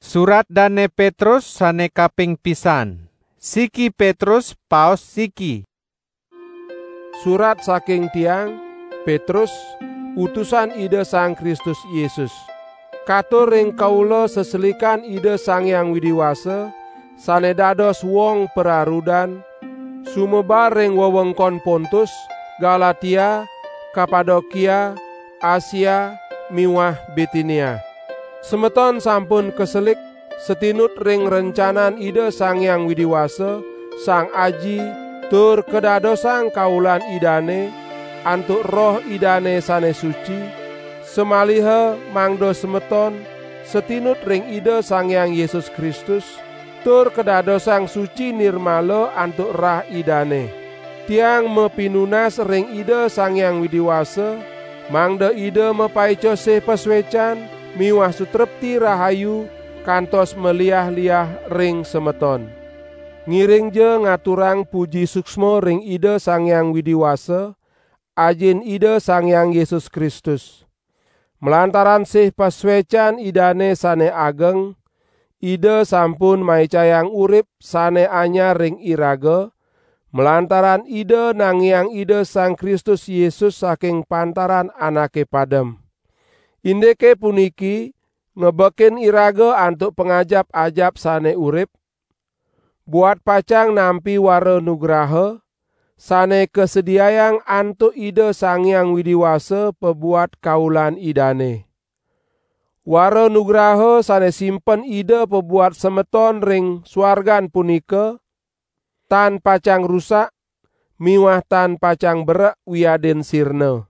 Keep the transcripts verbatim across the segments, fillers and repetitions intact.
Surat dane Petrus sane kaping pisan. Siki Petrus paos siki. Surat saking tiang, Petrus, utusan Ida Sang Kristus Yesus. Katur ring kaula seselikan Ida Sang Hyang Widi Wasa, sane dados wong pararudan, sumebar ring wewengkon Pontus, Galatia, Kapadokia, Asia, miwah Bitinia. Semeton sampun kaselik satinut ring rencanan Ida Sang Hyang Widi Wasa, Sang Aji, tur kadadosang kaulan Idane, antuk Roh Idane sane suci, samaliha mangda semeton satinut ring Ida Sang Hyang Yesus Kristus, tur kadadosang suci nirmala antuk rah Idane. Tiang mapinunas ring Ida Sang Hyang Widi Wasa, mangda Ida mapaica sih pasuecan miwah sutrepti rahayu kantos maliah-liah ring semeton. Ngiringja ngaturang puji suksma ring Ida Sang Hyang Widi Wasa, Ajin Ida Sang Hyang Yesus Kristus. Malantaran sih pasuecan Idane sane ageng, Ida sampun maicayang urip sane anyar ring iraga, malantaran Ida nangiang Ida Sang Kristus Yesus saking pantaran anake padem. Indike puniki ngebekin iraga antuk pangajap-ajap sane urip, buat pacang nampi wara nugraha, sane kasediayang antuk Ida Sang Hyang Widi Wasa pabuat kaulan Idane. Wara nugraha sane simpen Ida pabuat semeton ring suargan punika, tan pacang rusak, miwah tan pacang berek wiadin sirna.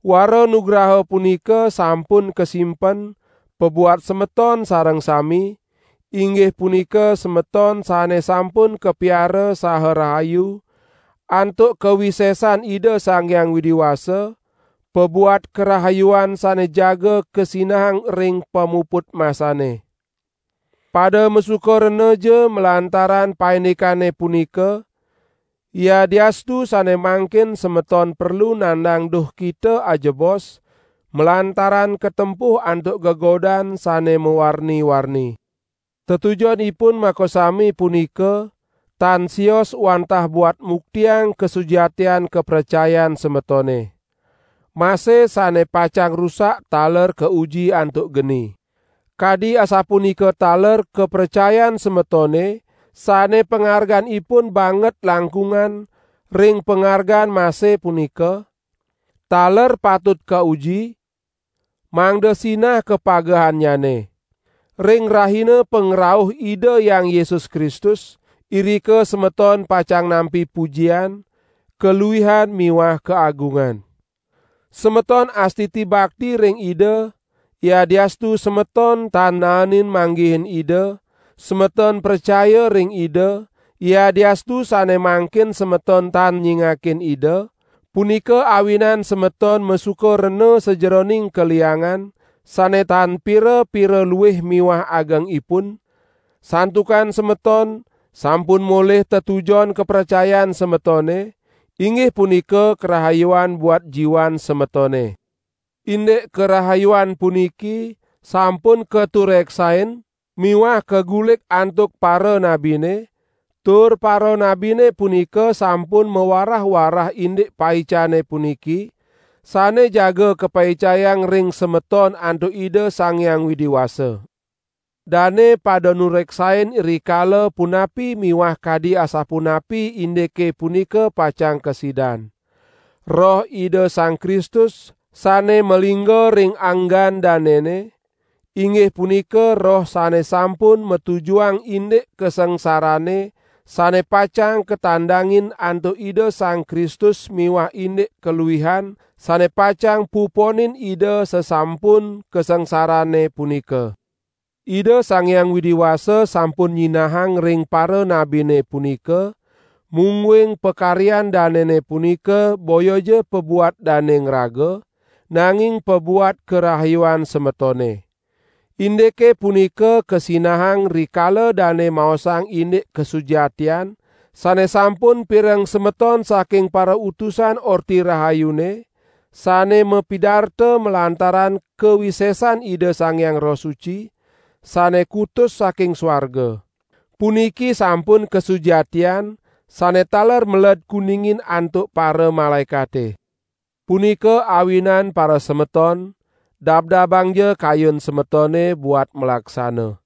Wara nugraha punika sampun kasimpen pabuat semeton sareng sami, inggih punika semeton sane sampun kapiara saha rahayu, antuk kawisesan Ida Sang Hyang Widi Wasa, pabuat karahayuan sane jaga kasinahang ring pamuput masane. Pada masuka rena ja malantaran paindikane punika, yadiastu sane mangkin semeton perlu nandang duhkita ajebos, malantaran katempuh antuk gegodan sane mawarni-warni. Tetujonipun makasami punika tan sios wantah buat muktiang kasujatian kapracayan semetone. Mase sane pacang rusak taler kauji antuk geni. Kadi asapunika taler kapracayan semetone, sane pangarganipun banget langkungan ring pangargan mase punika, taler patut kauji, mangda sinah kapagehannyane. Ring rahina pangrauh Ida Hyang Yesus Kristus, irika semeton pacang nampi pujian, kaluihan miwah kaagungan. Semeton astiti bakti ring Ida, yadiastu semeton tan naenin manggihin Ida, semeton pracaya ring Ida, yadiastu sane mangkin semeton tan nyingakin Ida, punika awinan semeton masuka rena sajeroning kaliangan, sane tan pira-pira luih miwah agengipun, santukan semeton sampun molih tetujon kapracayan semetone, inggih punika karahayuan buat jiwan semetone. Indik karahayuan puniki sampun katureksain miwah kagulik antuk para nabine, tur para nabine punika sampun mawarah-warah indik paicane puniki, sane jaga kapaicayang ring semeton antuk Ida Sang Hyang Widi Wasa. Dane pada nureksain rikala punapi miwah kadi asapunapi indike punika pacang kasidan. Roh Ida Sang Kristus sane malingga ring anggan danene, inggih punika Roh sane sampun matujuang indik kasangsarane sane pacang katandangin antuk Ida Sang Kristus miwah indik kaluihan sane pacang puponin Ida sasampun kasangsarane punika. Ida Sang Hyang Widi Wasa sampun nyinahang ring para nabine punika, mungguing pakaryan danene punika boya ja pabuat dane ngraga, nanging pabuat karahayuan semetone. Indike punika kasinahang rikala dane maosang indik kasujatian, sane sampun pireng semeton saking para utusan Orti Rahayune, sane mapidarta malantaran kawisesan Ida Sang Hyang Roh Suci, sane kutus saking swarga. Puniki sampun kasujatian sane taler meled kuningin antuk para malaekate. Punika awinan para semeton, dabdabangja kayun semetone buat malaksana.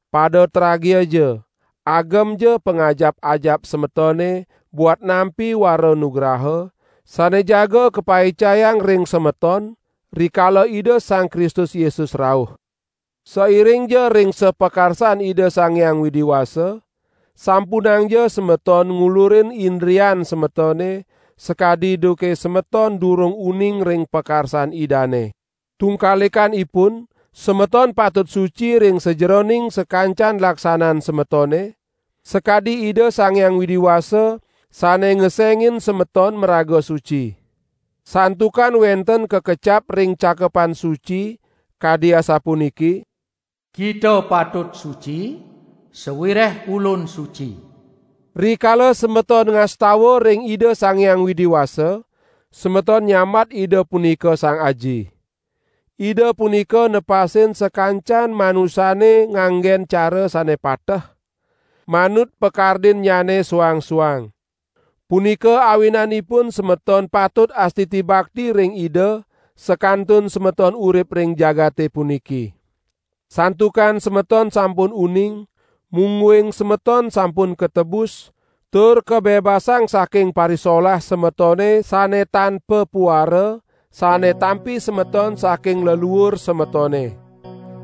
Pada tragiaja, agemja pangajap-ajap semetone buat nampi wara nugraha, sane jaga kapaicayang ring semeton, rikala Ida Sang Kristus Yesus rauh. Sairingja ring sapakarsan Ida Sang Hyang Widi Wasa, sampunangja semeton ngulurin indrian semetone, sakadi duke semeton durung uning ring pakarsan Idane. Tungkalikanipun, semeton patut suci ring sajeroning sakancan laksanan semetone, sakadi Ida Sang Hyang Widi Wasa sane ngesengin semeton maraga suci. Santukan wenten kakecap ring Cakepan Suci, kadi asapuniki: "Kita patut suci, sawireh Ulun suci." Rikala semeton ngastawa ring Ida Sang Hyang Widi Wasa, semeton nyambat Ida punika Sang Aji. Ida punika nepasin sakancan manusane nganggen cara sane pateh, manut pakardinnyane suang-suang. Punika awinanipun semeton patut astiti bakti ring Ida, sakantun semeton urip ring jagate puniki. Santukan semeton sampun uning, mungguing semeton sampun katebus, tur kabebasang saking parisolah semetone sane tan papuara, sane tampi semeton saking leluur semetone.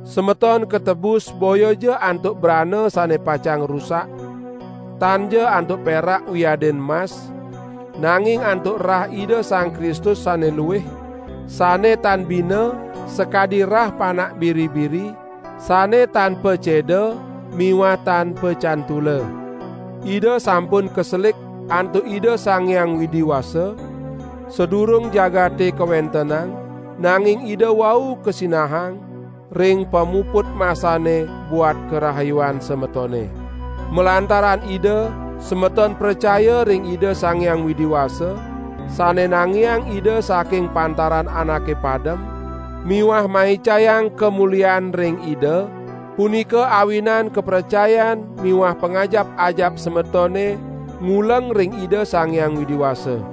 Semeton katebus boyaja antuk brana sane pacang rusak, tanja antuk perak wiadin mas, nanging antuk rah Ida Sang Kristus sane luih, sane tan bina, sakadi rah Panak Biri-biri, sane tan paceda miwah tan pacantula. Ida sampun kaselik antuk Ida Sang Hyang Widi Wasa, sadurung jagate kawentenang, nanging Ida wau kasinahang ring pamuput masane buat karahayuan semetone. Malantaran Ida, semeton pracaya ring Ida Sang Hyang Widi Wasa, sane nangiang Ida saking pantaran anake padem, miwah maicayang kamulian ring Ida, punika awinan kapracayan miwah pangajap-ajap semetone nguleng ring Ida Sang Hyang Widi Wasa.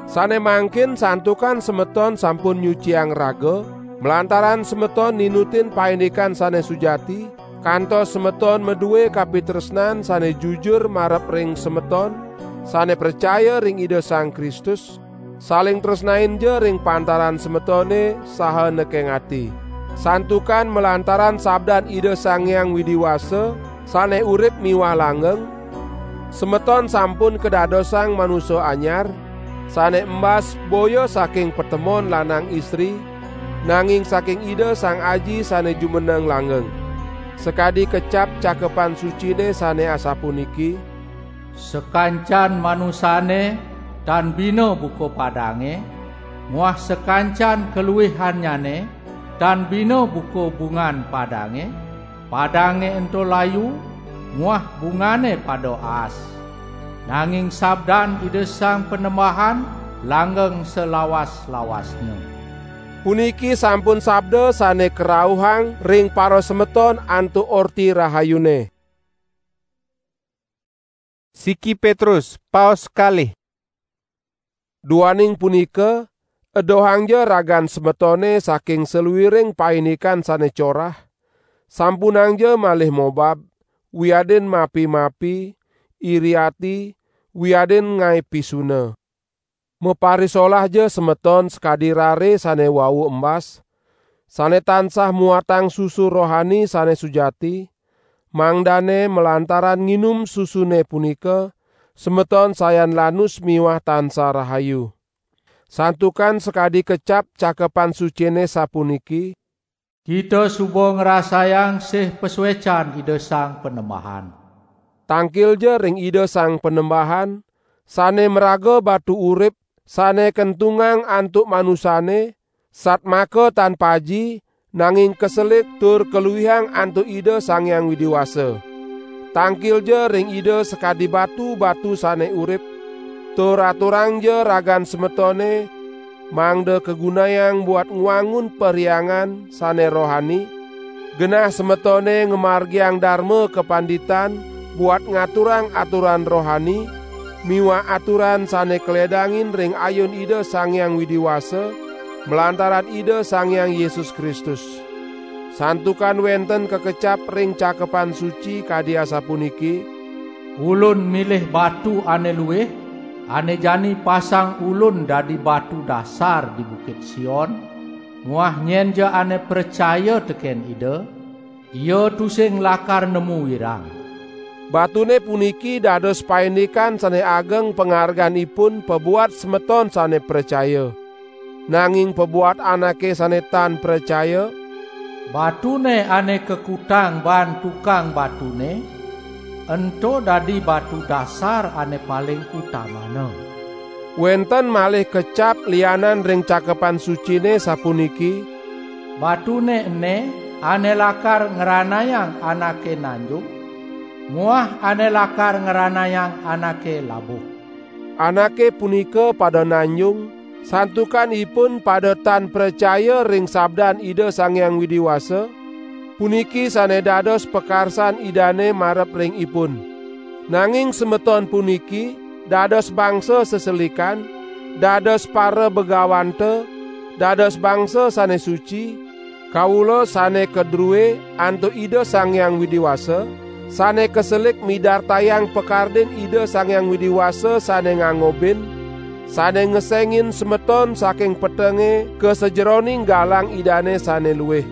Sane mangkin santukan semeton sampun nyuciang raga, malantaran semeton ninutin paindikan sane sujati, kantos semeton madue kapitresnan sane jujur marep ring semeton, sane pracaya ring Ida Sang Kristus, saling tresnainja ring pantaran semetone saha nekeng ati. Santukan malantaran sabdan Ida Sang Hyang Widi Wasa, sane urip miwah langgeng, semeton sampun kadadosang manusa anyar, sane embas boya saking patemon lanang istri, nanging saking Ida Sang Aji sane jumeneng langgeng. Sakadi kecap Cakepan Sucine sane asapuniki: "Sakancan manusane tan bina buka padange, muah sakancan kaluihannyane tan bina buka bungan padange, padange ento layu, muah bungane pada aas. Nanging sabdan Ida Sang Panembahan langgeng salawas-lawasnya." Puniki sampun sabda sane karauhang ring parasemeton antuk Orti Rahayune. Siki Petrus, paos kalih. Duaning punika, edohangja ragan semetone saking saluiring paindikan sane corah, sampunangja malih mobab, wiadin mapi-mapi, iri ati, wiadin ngae pisuna. Maparisolahja semeton sakadi rare sane wau embas, sane tansah muatang susu rohani sane sujati, mangdane malantaran nginum susune punika, semeton sayan lanus miwah tansah rahayu. Santukan sakadi kecap Cakepan Sucine sapuniki: "Kita suba ngrasayang sih pasuecan Ida Sang Panembahan." Tangkilja ring Ida Sang Panembahan, sane maraga batu urip, sane kentungang antuk manusane, satmaka tan paji, nanging kaselik tur kaluihang antuk Ida Sang Hyang Widi Wasa. Tangkilja ring Ida sakadi batu-batu sane urip, tur aturangja ragan semetone, mangda kagunayang buat ngwangun perhyangan sane rohani, Genah semetone ngamargiang darma kapanditan buat ngaturang aturan rohani miwah aturan sane kaledangin ring ayun Ida Sang Hyang Widi Wasa, malantaran Ida Sang Hyang Yesus Kristus. Santukan wenten kakecap ring Cakepan Suci kadi asapuniki: "Ulun milih batu ane luih, ane jani pasang Ulun dadi batu dasar di Bukit Sion, muah nyenja ane pracaya teken Ida, ia tusing lakar nemu wirang." Batune puniki dados paindikan sane ageng pangarganipun pabuat semeton sane pracaya. Nanging pabuat anake sane tan pracaya, "Batune ane kakutang baan tukang batune, ento dadi batu dasar ane paling utamana." Wenten malih kecap lianan ring Cakepan Sucine sapuniki: "Batune ene ane lakar ngranayang anake nanjung, muah ane lakar ngranayang anake labuh." Anake punika pada nanjung, santukan ipun pada tan pracaya ring sabdan Ida Sang Hyang Widi Wasa, puniki sane dados pakarsan Idane marep ring ipun. Nanging semeton puniki dados bangsa seselikan, dados para begawanta, dados bangsa sane suci, kawula sane kadrue antuk Ida Sang Hyang Widi Wasa, sane kaselik midartayang pakardin Ida Sang Hyang Widi Wasa sane ngangobin, sane ngesengin semeton saking petenge ka sajeroning galang Idane sane luih.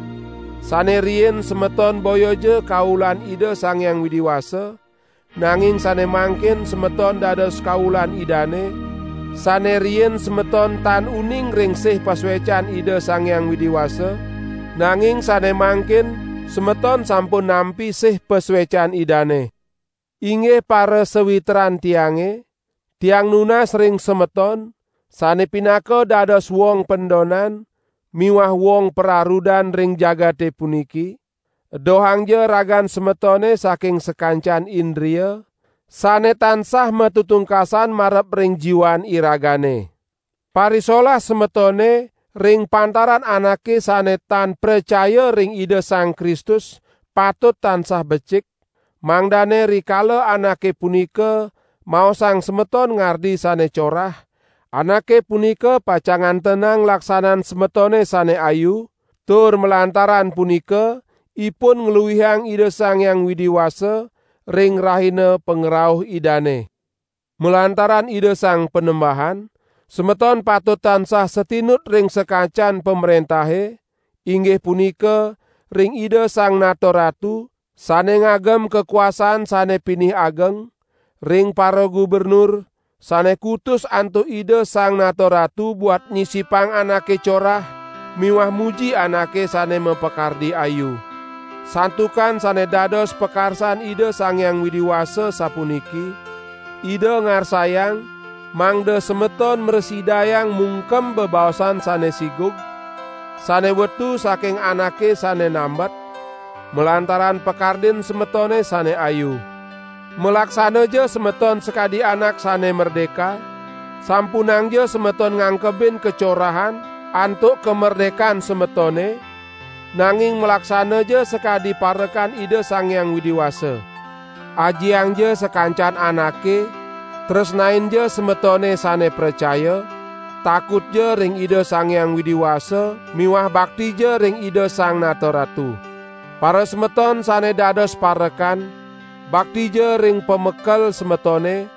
Sane riin semeton boyaja kaulan Ida Sang Hyang Widi Wasa, nanging sane mangkin semeton dados kaulan Idane. Sane riin semeton tan uning ring sih pasuecan Ida Sang Hyang Widi Wasa, nanging sane mangkin semeton sampun nampi sih pasuecan Idane. Inggih para sawitran tiange, tiang nunas ring semeton, sane pinaka dados wong pendonan miwah wong pararudan ring jagate puniki, edohangja ragan semetone saking sakancan indria, sane tansah matutungkasan marep ring jiwan iragane. Parisolah semetone ring pantaran anake sane tan pracaya ring Ida Sang Kristus patut tansah becik, mangdane rikala anake punika maosang semeton ngardi sane corah, anake punika pacang ngantenang laksanan semetone sane ayu, tur malantaran punika ipun ngluihang Ida Sang Hyang Widi Wasa ring rahina pangrauh Idane. Malantaran Ida Sang Panembahan, semeton patut tansah satinut ring sakancan pamrentahe, inggih punika ring Ida Sang Nata Ratu, sane ngagem kakuasan sane pinih ageng, ring para gubernur, sane kutus antuk Ida Sang Nata Ratu buat nyisipang anake corah miwah muji anake sane mapakardi ayu. Santukan sane dados pakarsan Ida Sang Hyang Widi Wasa sapuniki: Ida ngarsayang mangda semeton mrasidayang mungkem bebaosan sane sigug, sane wetu saking anake sane nambet, malantaran pakardin semetone sane ayu. Malaksanaja semeton sakadi anak sane merdeka, sampunangja semeton ngangkebin kacorahan antuk kamerdekan semetone, nanging malaksanaja sakadi parekan Ida Sang Hyang Widi Wasa. Ajiangja sakancan anake, tresnainja semetone sane pracaya, takutja ring Ida Sang Hyang Widi Wasa miwah baktija ring Ida Sang Nata Ratu. Para semeton sane dados parekan, baktija ring pamekel semetone,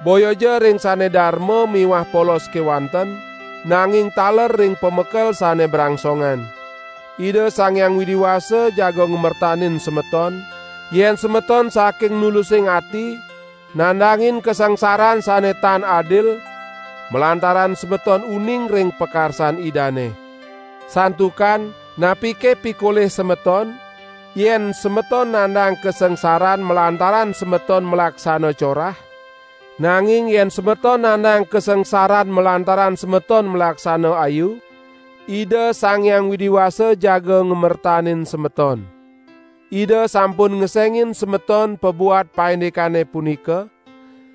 boyaja ring sane darma miwah polos kewanten, nanging taler ring pamekel sane brangsongan. Ida Sang Hyang Widi Wasa jaga ngamertanin semeton, yen semeton saking nulusing ati, nandangin kasangsaran sane tan adil, malantaran semeton uning ring pakarsan Idane. Santukan, napike pikolih semeton, yen semeton nandang kasangsaran malantaran semeton malaksana corah? Nanging yen semeton nandang kasangsaran malantaran semeton malaksana ayu, Ida Sang Hyang Widi Wasa jaga ngamertanin semeton. Ida sampun ngesengin semeton pabuat paindikane punika,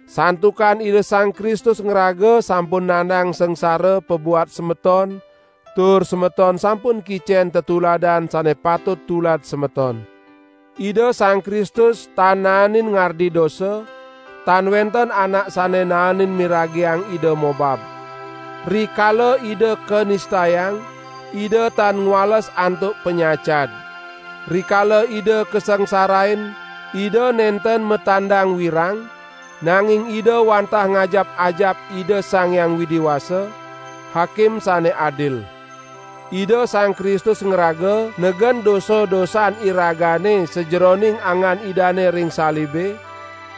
santukan Ida Sang Kristus ngraga sampun nandang sangsara pabuat semeton, tur semeton sampun kicen tetuladan sane patut tulad semeton. Ida Sang Kristus tan naenin ngardi dosa, tan wenten anak sane naenin miragiang Ida mobab. Rikala Ida kanistayang, Ida tan ngwales antuk panyacad. Rikala Ida kasangsarain, Ida nenten matandang wirang, nanging Ida wantah ngajap-ajap Ida Sang Hyang Widi Wasa, Hakim sane adil. Ida Sang Kristus ngraga negen dosa-dosan iragane sajeroning angan Idane ring salibe,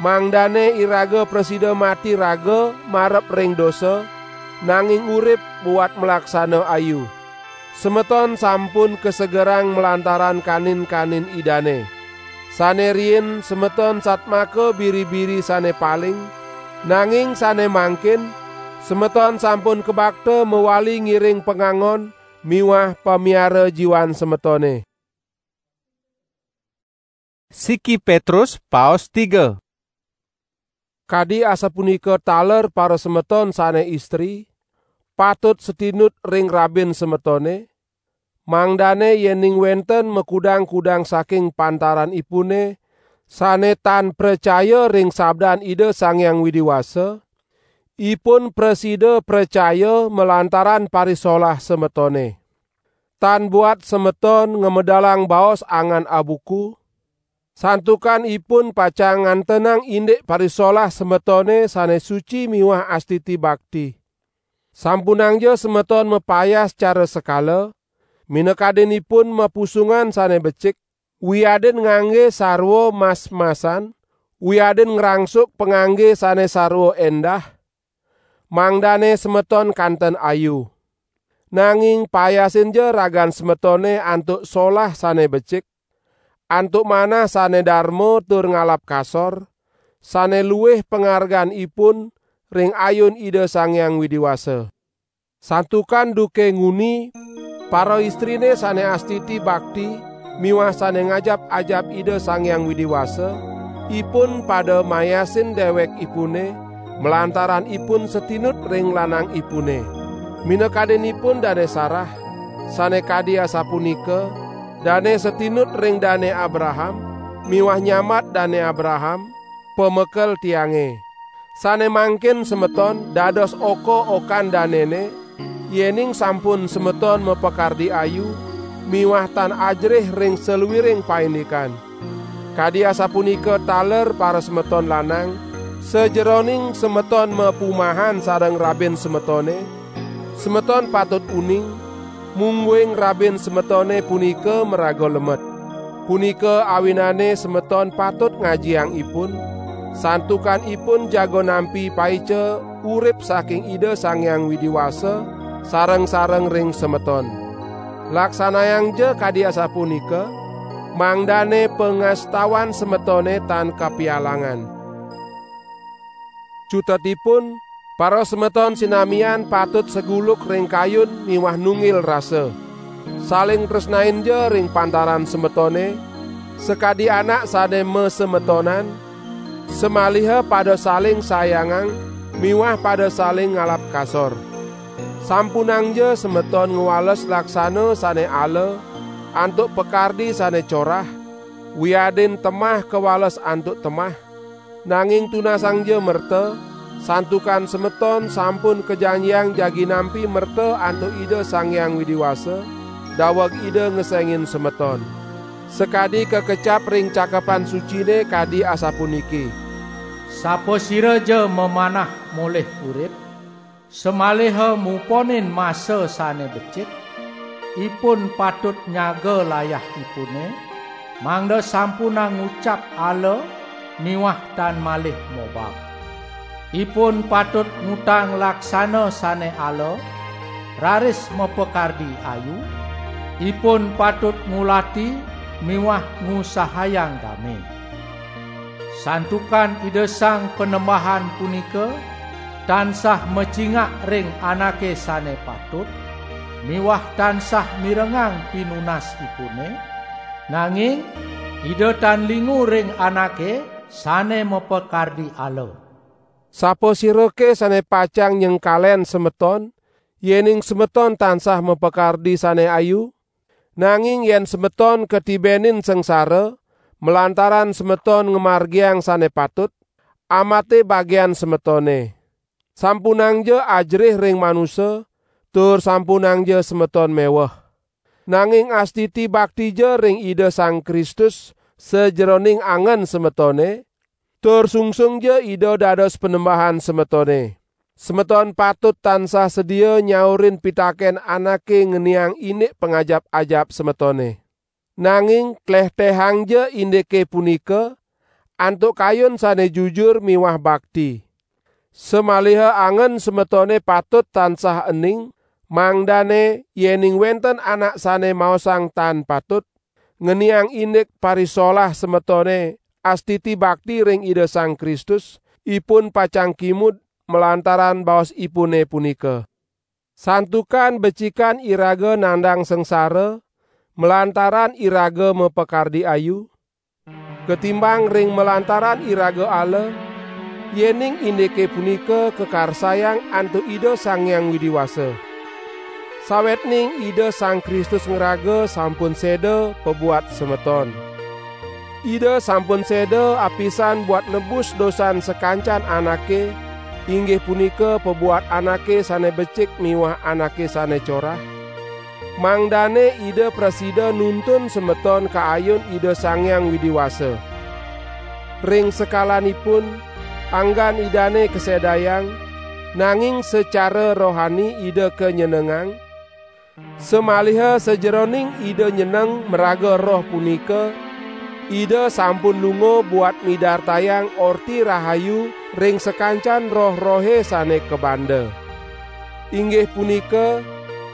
mangdane iraga prasida mati raga marep ring dosa, nanging urip buat malaksana ayu. Semeton sampun kasegerang malantaran kanin-kanin Idane. Sane riin semeton satmaka biri-biri sane paling, nanging sane mangkin semeton sampun kabakta mawali ngiring pangangon miwah pamiara jiwan semetone. Siki Petrus paos tiga. Kadi asapunika taler parasemeton sane istri, patut satinut ring rabin semetone, mangdane yening wenten makudang-kudang saking pantaranipune sane tan pracaya ring sabdan Ida Sang Hyang Widi Wasa, ipun prasida pracaya malantaran parisolah semetone. Tan buat semeton ngamedalang baos angan abuku, santukan ipun pacang ngantenang indik parisolah semetone sane suci miwah astiti bakti. Sampunangja semeton mapayas cara sekala, minakadinipun mapusungan sane becik, wiadin ngangge sarwa mas-masan, wiadin ngrangsuk pangangge sane sarwa endah, mangdane semeton kanten ayu. Nanging payasinja ragan semetone antuk solah sane becik, antuk manah sane darma tur ngalap kasor, sane luih pangarganipun ring ayun Ida Sang Hyang Widi Wasa. Santukan duke nguni, paraistrine sane astiti bakti miwah sane ngajap-ajap Ida Sang Hyang Widi Wasa, ipun pada mayasin dewekipune, malantaran ipun satinut ring lanangipune. Minakadinipun Dane Sarah, sane kadi asapunika, dane satinut ring Dane Abraham, miwah nyambat Dane Abraham, pamekel tiange. Sane mangkin semeton dados oka-okan danene, yening sampun semeton mapakardi ayu, miwah tan ajerih ring saluiring paindikan. Kadi asapunika taler parasemeton lanang, sajeroning semeton mapumahan sareng rabin semetone, semeton patut uning, mungguing rabin semetone punika maraga lemet. Punika awinane semeton patut ngajiang ipun, santukan ipun jaga nampi paica urip saking Ida Sang Hyang Widi Wasa sareng-sareng ring semeton. Laksanayangja kadi asapunika, mangdane pangastawan semetone tan kapialangan. Cutetipun, parasemeton sinamian patut saguluk ring kayun miwah nunggil rasa. Saling tresnainja ring pantaran semetone, sakadi anak sane masemetonan, samaliha pada saling sayangang miwah pada saling ngalap kasor. Sampunangja semeton ngwales laksana sane ala antuk pakardi sane corah, wiadin temah kawales antuk temah, nanging tunasangja merta, santukan semeton sampun kajanjiang jagi nampi merta antuk Ida Sang Hyang Widi Wasa, daweg Ida ngesengin semeton. Sakadi kakecap ring Cakepan Sucine kadi asapuniki: "Sapasiraja mamanah molih urip, samaliha muponin masa sane becik, ipun patut nyaga layahipune, mangda sampunang ngucap ala miwah tan malih mobab. Ipun patut ngutang laksana sane ala, raris mapakardi ayu, ipun patut ngulati miwah ngusahayang dame. Santukan Ida Sang Panembahan punika tansah macingak ring anake sane patut, miwah tansah mirengang pinunasipune, nanging Ida tan lingu ring anake sane mapakardi ala." Sapasirake sane pacang nyengkalen semeton, Yening semeton tansah mapakardi sane ayu, nanging yen semeton katibenin sangsara, malantaran semeton ngamargiang sane patut, amate bagian semetone. Sampunangja ajerih ring manusa, tur sampunangja semeton meweh. Nanging astiti baktija ring Ida Sang Kristus sajeroning angen semetone, tur sungsungja Ida dados Panembahan semetone. Semeton patut tansah sedia nyaurin pitaken anake ngeniang indik pangajap-ajap semetone. Nanging klehtehangja indike punika, antuk kayun sane jujur miwah bakti. Samaliha angen semetone patut tansah ening, mangdane yening wenten anak sane maosang tan patut, ngeniang indik parisolah semetone astiti bakti ring Ida Sang Kristus, ipun pacang kimud malantaran baosipune punika. Santukan becikan iraga nandang sangsara, malantaran iraga mapakardi ayu, ketimbang ring malantaran iraga ala, yening indike punika kakarsayang antuk Ida Sang Hyang Widi Wasa. Sawetning Ida Sang Kristus ngraga sampun seda pabuat semeton. Ida sampun seda apisan buat nebus dosan sakancan anake, inggih punika pabuat anake sane becik miwah anake sane corah, mangdane Ida prasida nuntun semeton ka ayun Ida Sang Hyang Widi Wasa. Ring sekalanipun, anggan Idane kasedayang, nanging sacara rohani Ida kanyenengang, samaliha sajeroning Ida nyeneng maraga Roh punika, Ida sampun lunga buat midartayang Orti Rahayu ring sakancan roh-rohe sane kabanda. Inggih punika,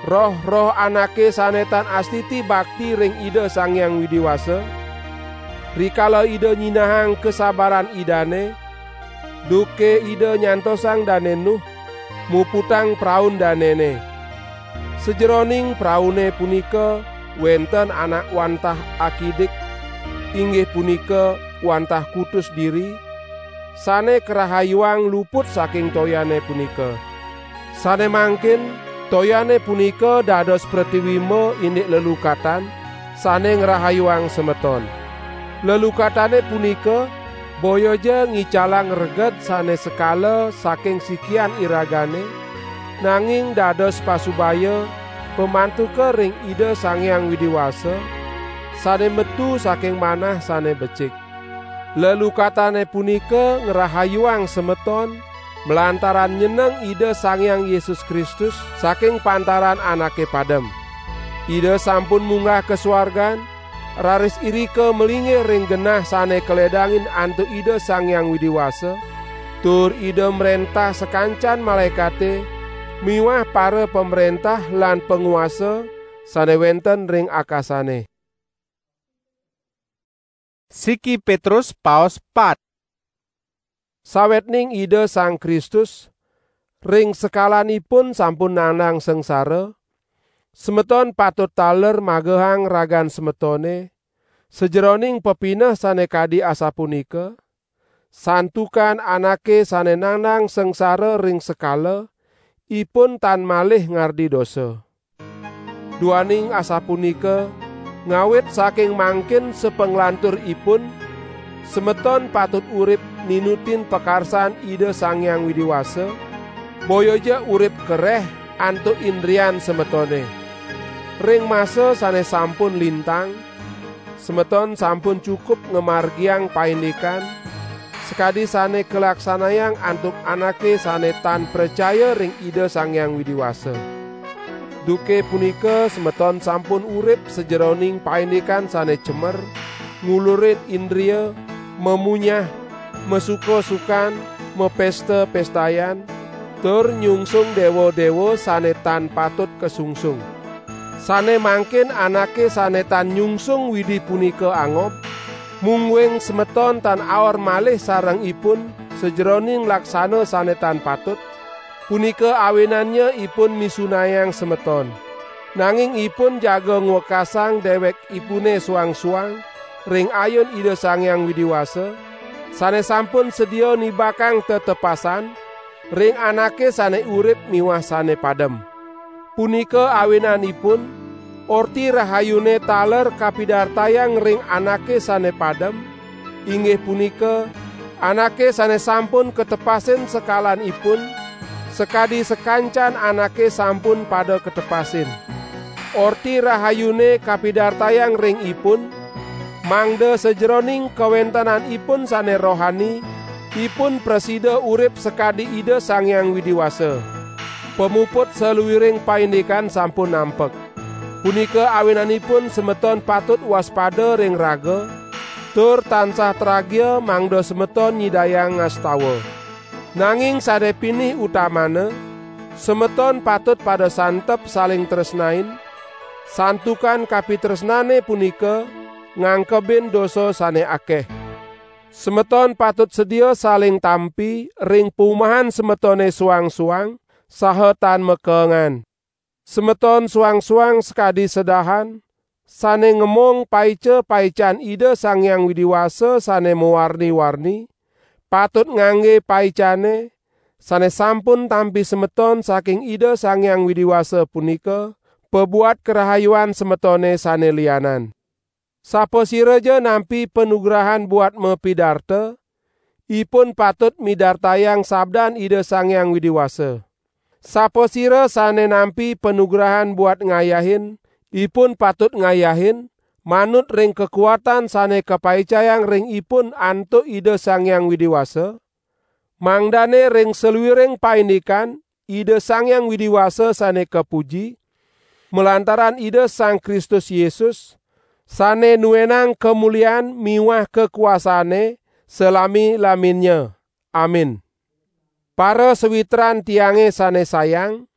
roh-roh anake sane tan astiti bakti ring Ida Sang Hyang Widi Wasa, rikala Ida nyinahang kasabaran Idane, duke Ida nyantosang Dane Nuh, muputang praun danene. Sajeroning praune punika wenten anak wantah akidik, inggih punika wantah kutus diri, sane karahayuang luput saking toyane punika. Sane mangkin, toyane punika dados pratiwimba indik lelukatan, sane ngrahayuang semeton. Lelukatane punika boyaja ngicalang reged sane sekala saking sikian iragane, nanging dados pasubaya pamantuka ring Ida Sang Hyang Widi Wasa, sane metu saking manah sane becik. Lelukatane punika ngrahayuang semeton, malantaran nyeneng Ida Sang Hyang Yesus Kristus saking pantaran anake padem. Ida sampun munggah ka suargan, raris irika malinggih ring genah sane kaledangin antuk Ida Sang Hyang Widi Wasa, tur Ida mrentah sakancan malaekate miwah para pamrentah lan panguasa sane wenten ring akasane. Siki Petrus paos pat. Sawetning Ida Sang Kristus ring sekalanipun sampun nandang sangsara, semeton patut taler magehang ragan semetone sajeroning pepineh sane kadi asapunika, santukan anake sane nandang sangsara ring sekala, ipun tan malih ngardi dosa. Duaning asapunika, ngawit saking mangkin sapanglanturipun, semeton patut urip ninutin pakarsan Ida Sang Hyang Widi Wasa, boyaja urip kereh antuk indrian semetone. Ring masa sane sampun lintang, semeton sampun cukup ngamargiang paindikan, sakadi sane kalaksanayang antuk anake sane tan pracaya ring Ida Sang Hyang Widi Wasa. Duke punika semeton sampun urip sajeroning paindikan sane cemer, ngulurin indria, mamunyah, masuka-sukan, mapesta-pestayan, tur nyungsung dewa-dewa sane tan patut kasungsung. Sane mangkin anake sane tan nyungsung Widi punika angob, mungguing semeton tan aor malih sareng ipun sajeroning laksana sane tan patut, punika awinannya ipun misunayang semeton. Nanging ipun jaga ngwekasang dewekipune suang-suang ring ayun Ida Sang Hyang Widi Wasa, sane sampun sedia nibakang tetepasan ring anake sane urip miwah sane padem. Punika awinanipun, Orti Rahayune taler kapidartayang ring anake sane padem, inggih punika, anake sane sampun katepasin sekalanipun, sakadi sakancan anake sampun pada katepasin. Orti Rahayune kapidartayang ring ipun, mangda sajeroning kawentenanipun sane rohani, ipun prasida urip sakadi Ida Sang Hyang Widi Wasa. Pamuput saluiring paindikan sampun nampek. Punika awinanipun semeton patut waspada ring raga, tur tansah tragia mangda semeton nyidayang ngastawa. Nanging sane pinih utamana, semeton patut pada santep saling tresnain, santukan kapitresnane punika ngangkebin dosa sane akeh. Semeton patut sedia saling tampi ring pumahan semetone suang-suang saha tan makengan. Semeton suang-suang sakadi sedahan, sane ngemong paica-paican Ida Sang Hyang Widi Wasa sane mawarni-warni, patut ngangge paicane, sane sampun tampi semeton saking Ida Sang Hyang Widi Wasa punika, pabuat karahayuan semetone sane lianan. Sapasiraja nampi panugrahan buat mapidarta, ipun patut midartayang sabdan Ida Sang Hyang Widi Wasa. Sapasira sane nampi panugrahan buat ngayahin, ipun patut ngayahin, manut ring kakuatan sane kapaicayang ring ipun antuk Ida Sang Hyang Widi Wasa, mangdane ring saluiring paindikan Ida Sang Hyang Widi Wasa sane kapuji, malantaran Ida Sang Kristus Yesus, sane nuenang kamulian miwah kakuasane salami-laminnya. Amin. Para sawitran tiange sane sayang,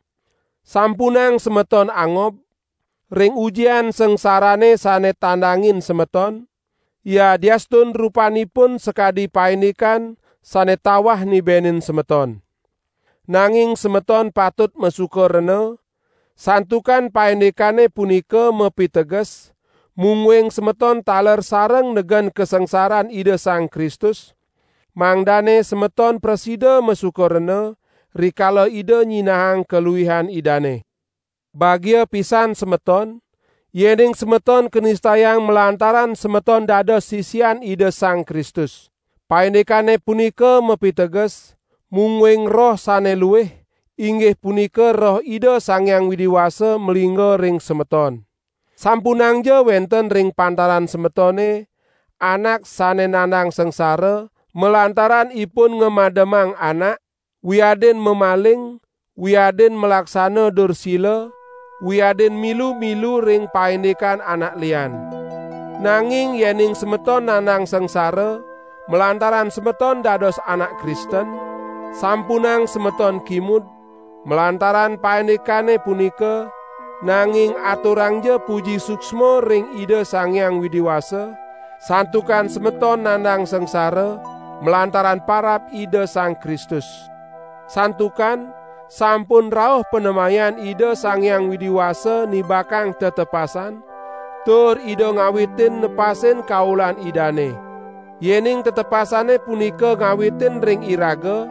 sampunang semeton angob ring ujian sangsarane sane tandangin semeton, yadiastun rupanipun sakadi paindikan sane tawah nibenin semeton. Nanging semeton patut masuka rena, santukan paindikane punika mapiteges, mungguing semeton taler sareng negen kasangsaran Ida Sang Kristus, mangdane semeton prasida masuka rena, rikala Ida nyinahang kaluihan Idane. Bagia pisan semeton, yening semeton kanistayang malantaran semeton dados sisian Ida Sang Kristus. Paindikane punika mapiteges, mungguing Roh sane luih, inggih punika Roh Ida Sang Hyang Widi Wasa malingga ring semeton. Sampunangja wenten ring pantaran semetone anak sane nandang sangsara, malantaran ipun ngamademang anak, wiadin mamaling, wiadin malaksana dursila, wiadin milu-milu ring paindikan anak lian. Nanging yening semeton nandang sangsara, malantaran semeton dados anak Kristen, sampunang semeton kimud, malantaran paindikane punika, nanging aturangja puji suksma ring Ida Sang Hyang Widi Wasa, santukan semeton nandang sangsara, malantaran parab Ida Sang Kristus. Santukan sampun rauh panemayan Ida Sang Hyang Widi Wasa nibakang tetepasan, tur Ida ngawitin nepasin kaulan Idane. Yening tetepasane punika ngawitin ring iraga,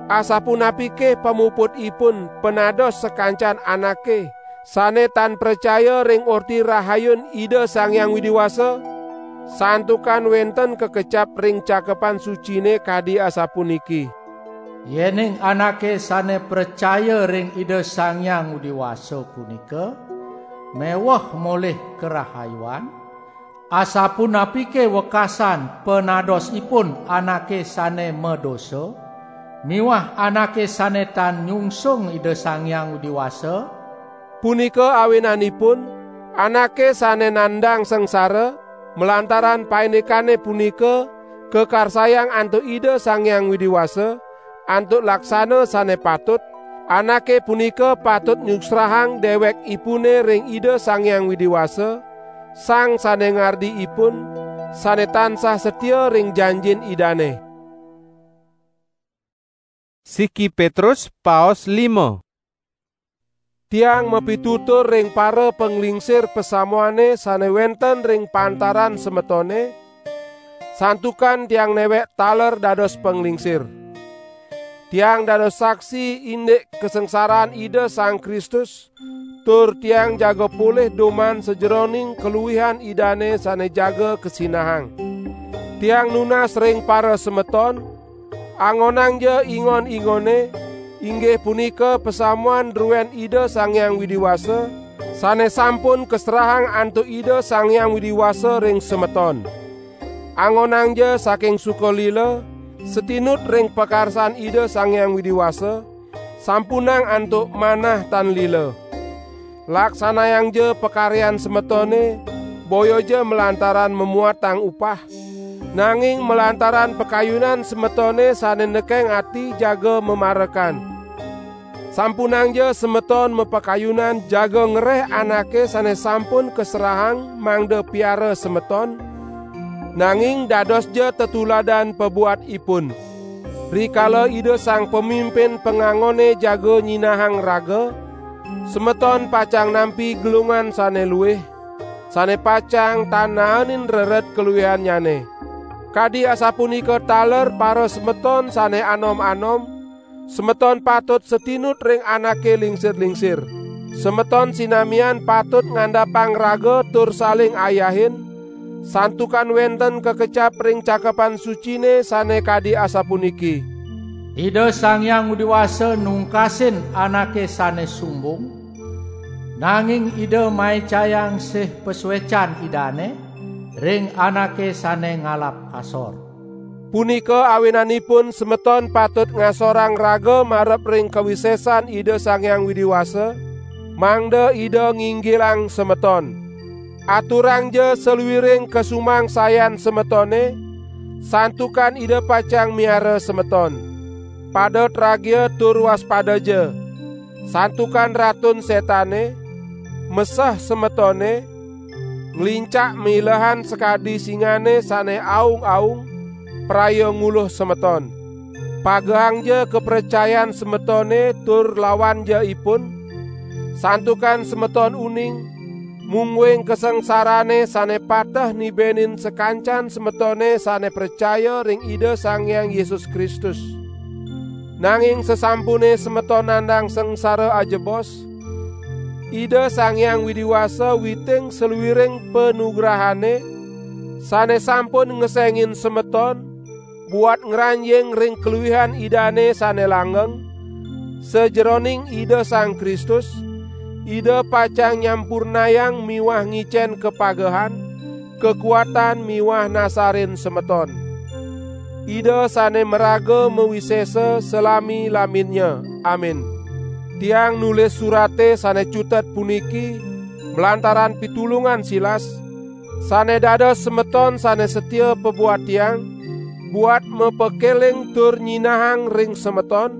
asapunapike pamuputipun panados sakancan anake sane tan pracaya ring Orti Rahayun Ida Sang Hyang Widi Wasa? Santukan wenten kakecap ring Cakepan Sucine kadi asapuniki: Yening anake sane pracaya ring Ida Sang Hyang Widi Wasa punika meweh molih karahayuan, asapunapike wekasan panadosipun anake sane madosa miwah anake sane tan nyungsung Ida Sang Hyang Widi Wasa? Punika awinanipun, anake sane nandang sangsara, malantaran paindikane punika kakarsayang antuk Ida Sang Hyang Widi Wasa, antuk laksana sane patut, anake punika patut nyuksrahang dewekipune ring Ida Sang Hyang Widi Wasa, Sang sane ngardi ipun, sane tansah satia ring janjin Idane. Siki Petrus paos lima. Tiang mapitutur ring para panglingsir pasamuane sane wenten ring pantaran semetone, santukan tiang newek taler dados panglingsir. Tiang dados saksi indik kasangsaran Ida Sang Kristus, tur tiang jaga polih duman sajeroning kaluihan Idane sane jaga kasinahang. Tiang nunas ring parasemeton, angonangja ingon-ingone, inggih punika pasamuan druen Ida Sang Hyang Widi Wasa, sane sampun kaserahang antuk Ida Sang Hyang Widi Wasa ring semeton. Angonangja saking suka lila, satinut ring pakarsan Ida Sang Hyang Widi Wasa, sampunang antuk manah tan lila. Laksanayangja pakaryan semetone, boyaja malantaran mamuatang upah, nanging malantaran pakayunan semetone sane nekeng ati jaga mamarekan. Sampunangja semeton mapakayunan jaga ngreh anake sane sampun kaserahang mangda piara semeton, nanging dadosja tetuladan pabuat ipun. Rikala Ida Sang Pamimpin Pangangone jaga nyinahang raga, semeton pacang nampi gelungan sane luih, sane pacang tan naenin rered kaluihannyane. Kadi asapunika taler parasemeton sane anom-anom, semeton patut satinut ring anake lingsir-lingsir. Semeton sinamian patut ngandapang raga tur saling ayahin, santukan wenten kakecap ring Cakepan Sucine sane kadi asapuniki: "Ida Sang Hyang Widi Wasa nungkasin anake sane sumbung, nanging Ida maicayang sih pasuecan Idane ring anake sane ngalap asor." Punika awinanipun semeton patut ngasorang raga marep ring kawisesan Ida Sang Hyang Widi Wasa, mangda Ida nginggilang semeton. Aturangja saluiring kasumangsayan semetone, santukan Ida pacang miara semeton. Pada tragia tur waspadaja, santukan Ratun Setane meseh semetone, nglincak milehan sakadi singane sane aung-aung, praya nguluh semeton. Pagehangja kapracayan semetone tur lawanja ipun, santukan semeton uning, mungguing kasangsarane sane pateh nibenin sakancan semetone sane pracaya ring Ida Sang Hyang Yesus Kristus. Nanging sasampune semeton nandang sangsara ajebos, Ida Sang Hyang Widi Wasa witing saluiring panugrahane sane sampun ngesengin semeton, buat ngranjing ring kaluihan Idane sane langgeng, sajeroning Ida Sang Kristus, Ida pacang nyampurnayang miwah ngicen kapagehan, kakuatan miwah nasarin semeton. Ida sane maraga mawisesa salami-laminnya. Amin. Tiang nulis surate sane cutet puniki malantaran pitulungan Silas, sane dados semeton sane satia pabuat tiang, buat mapakeling tur nyinahang ring semeton,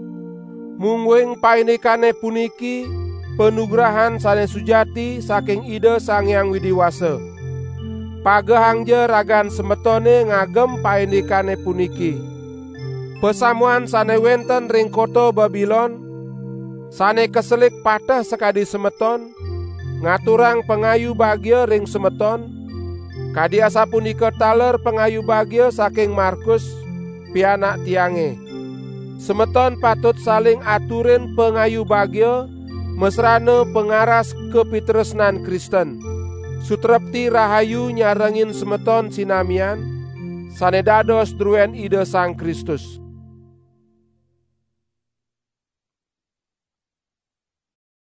mungguing paindikane puniki panugrahan sane sujati saking Ida Sang Hyang Widi Wasa. Pagehangja ragan semetone ngagem paindikane puniki. Pasamuan sane wenten ring kota Babilon, sane kaselik pateh sakadi semeton, ngaturang pangayu bagia ring semeton, kadi asapunika taler pangayu bagia saking Markus, pianak tiange. Semeton patut saling aturin pangayu bagia, masrana pangaras kapitresnan Kristen. Sutrepti rahayu nyarengin semeton sinamian, sane dados druen Ida Sang Kristus.